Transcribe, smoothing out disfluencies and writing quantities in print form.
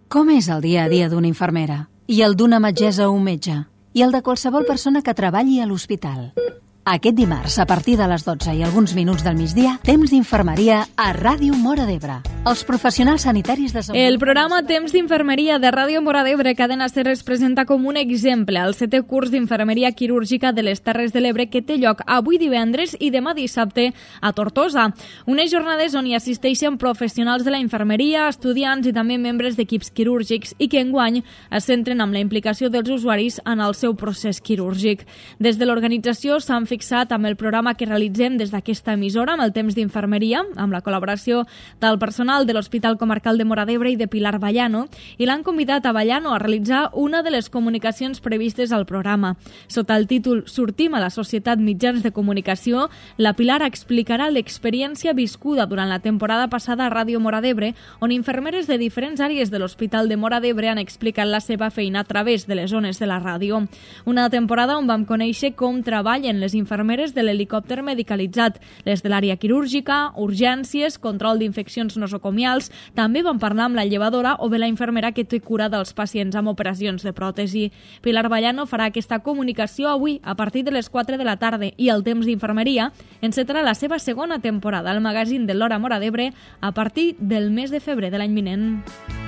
Com és el dia a dia d'una infermera? I el d'una metgessa o un metge? I el de qualsevol persona que treballi a l'hospital? Aquest dimarts, a partir de les 12 i alguns minuts del migdia, temps d'infermeria a Ràdio Móra d'Ebre. Els professionals sanitaris de salut... El programa Temps d'Infermeria de Ràdio Móra d'Ebre Cadena Ser es presenta com un exemple al 7è curs d'Infermeria Quirúrgica de les Terres de l'Ebre que té lloc avui divendres i demà dissabte a Tortosa. Unes jornades on hi assisteixen professionals de la infermeria, estudiants i també membres d'equips quirúrgics i que enguany es centren amb la implicació dels usuaris en el seu procés quirúrgic. Des de l'organització s'han fixat amb el programa que realitzem des d'aquesta emissora, amb el Temps d'Infermeria, amb la col·laboració del personal de l'Hospital Comarcal de Móra d'Ebre i de Pilar Vallano, i l'han convidat a Vallano a realitzar una de les comunicacions previstes al programa. Sota el títol Sortim a la societat mitjans de comunicació, la Pilar explicarà l'experiència viscuda durant la temporada passada a Ràdio Móra d'Ebre, on infermeres de diferents àrees de l'Hospital de Móra d'Ebre han explicat la seva feina a través de les zones de la ràdio. Una temporada on vam conèixer com treballen les infermeres de l'helicòpter medicalitzat, les de l'àrea quirúrgica, urgències, control d'infeccions nosocomials. També vam parlar amb la llevadora o bé la infermera que té cura dels pacients amb operacions de pròtesi. Pilar Vallano farà aquesta comunicació avui a partir de les 4 de la tarda i el Temps d'Infermeria encetarà la seva segona temporada al magazín de l'Hora Móra d'Ebre a partir del mes de febrer de l'any vinent.